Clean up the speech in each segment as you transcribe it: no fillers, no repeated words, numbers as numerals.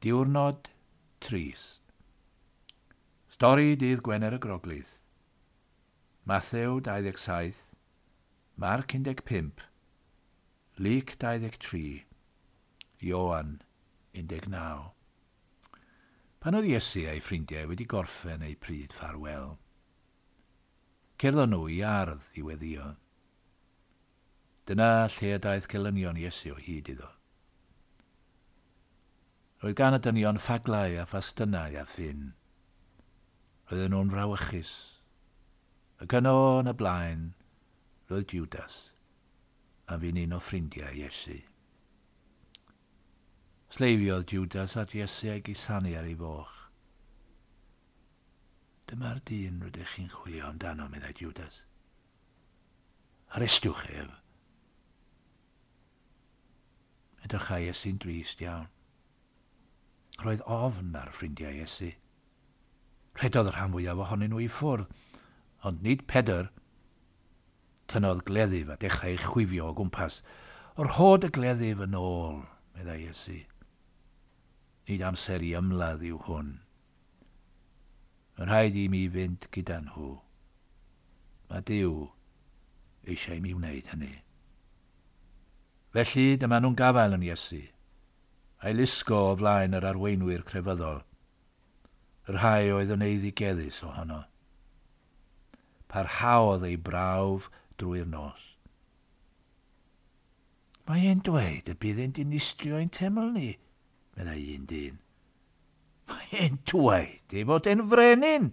Diwrnod trist. Stori dydd Gwener y Groglith. Mathew 27, Marc 15, Luc 23, Ioan 19. Pan oedd Iesu a'i ffrindiau wedi gorffen eu pryd ffarwel, cerddon nhw i ardd i weddio. Dyna lle y daeth gelynion Iesu o hyd iddo. Roedd gan y dynion ffaglau a phastynau a ffyn. Roedden nhw'n frawychus. Ac yno yn y blaen, roedd Judas, a fi'n un o ffrindiau Iesu. Sleifiodd Judas at Iesu a'i gusanu ar ei foch. Dyma'r dyn rydych chi'n chwilio amdano, meddai Judas. Arestiwch ef. Edrychai Iesu'n drist iawn. Roedd ofn ar ffrindiau Iesu. Rhedodd y rhan fwyaf ohonyn nhw i ffwrdd, ond nid Pedr. Tynnodd gleddyf a dechrau chwifio o gwmpas. Rhod y gleddyf yn ôl, meddai Iesu. Nid amser i ymladd yw hwn. Mae'n rhaid i mi fynd gyda nhw. Mae Duw eisiau i mi wneud hynny. Felly, dyma nhw'n gafael yn Iesu, a'i lusgo o flaen yr arweinwyr crefyddol, y rhai oedd yn eiddigeddus ohono. Parhaodd ei brawf drwy'r nos. Mae e'n dweud y bydd e'n dinistrio ein teml ni, meddai un dyn. Mae e'n dweud ei fod e'n frenin,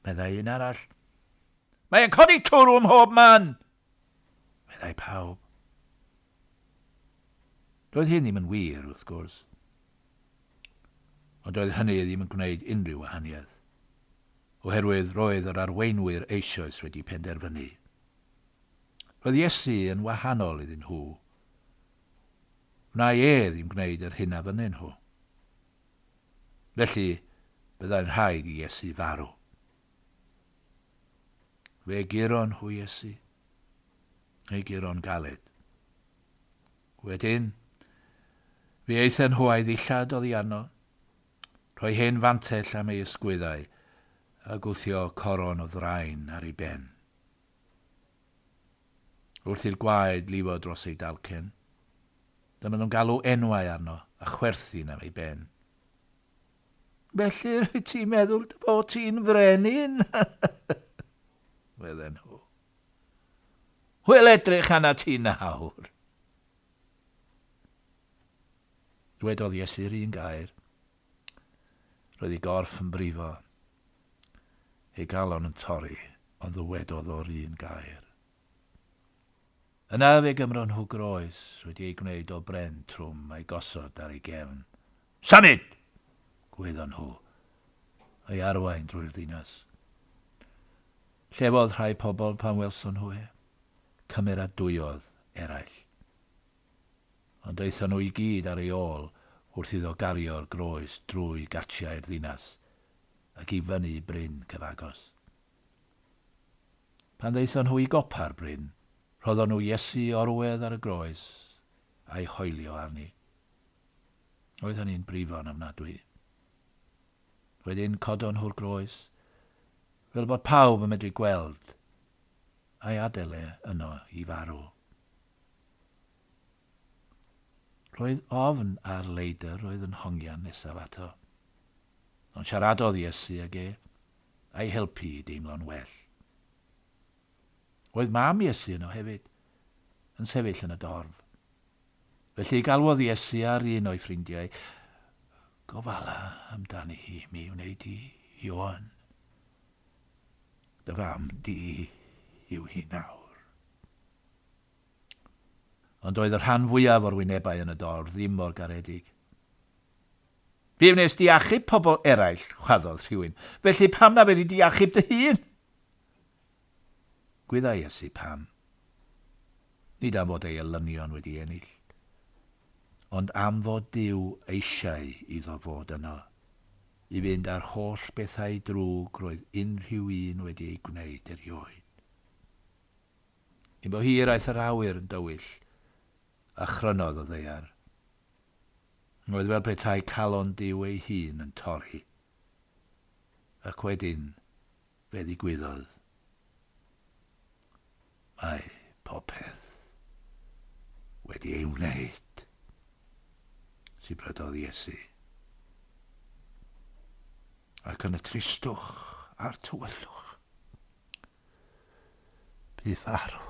meddai un arall. Mae e'n codi twrw ym mhob man, meddai pawb. Doedd hyn ddim yn wir, wrth gwrs. Ond doedd hynny ddim yn gwneud unrhyw wahaniaeth, oherwydd roedd yr arweinwyr eisoes wedi penderfynu. Roedd Iesu yn wahanol iddyn nhw. Wnai e ddim gwneud yr hyn a fynnyn nhw. Felly, byddai'n rhaid i Iesu farw. Fe guron nhw Iesu. Ei guro'n galed. Wedyn, fe aethon nhw a'i ddillad oddi arno, rhoi hen fantell am ei ysgwyddau a gwthio coron o ddraen ar ei ben. Wrth i'r gwaed lifo dros ei dalcen, dyma nhw'n galw enwau arno a chwerthin am ei ben. Felly rwyt ti'n meddwl dy fod ti'n frenin? Medden nhw. Wel, edrych arna ti nawr. Dwedodd Iesu'r un gair. Roedd ei gorff yn brifo, ei galon yn torri, ond ddywedodd o'r un gair. Yna fe gymron nhw groes wedi ei gwneud o bren trwm a'i gosod ar ei gefn. Symud! Gwaeddon nhw, a'i arwain drwy'r ddinas. Llefodd rhai pobl pan welson nhw e, cymeradwyodd eraill. Ond aethon nhw i gyd ar ei ôl wrth iddo gario'r groes drwy gatiau'r ddinas ac i fyny bryn cyfagos. Pan ddaethon nhw i gopa'r bryn, rhoddon nhw Iesu orwedd ar y groes a'i hoelio arni. Oedd hynny'n brifo'n ofnadwy. Wedyn codon nhw'r groes, fel bod pawb yn medru gweld, a'i adael e yno i farw. Roedd ofn ar leidr oedd yn hongian nesaf ato. Ond siaradodd Iesu ag e, a'i helpu i deimlo'n well. Oedd mam Iesu yno hefyd, yn sefyll yn y dorf. Felly galwodd Iesu ar un o'i ffrindiau, gofala amdani hi mi wneud i, Ioan. Dy fam di yw hi nawr. Ond oedd y rhan fwyaf o'r wynebau yn y dorf ddim mor garedig. Fe wnes di achub pobl eraill, chwaddodd rhywun. Felly pam na fedri di achub dy hun? Gwyddai Iesu pam. Nid am fod ei elynion wedi ennill, ond am fod Duw eisiau iddo fod yno, i fynd â'r holl bethau drwg roedd unrhyw un wedi ei gwneud erioed. Cyn bo hir aeth yr awyr yn dywyll, a chrynodd y ddaear. Roedd fel petai calon Duw ei hun yn torri. Ac wedyn, fe ddigwyddodd. Mae popeth wedi ei wneud, sibrydodd Iesu. Ac yn y tristwch a'r tywyllwch, bu farw.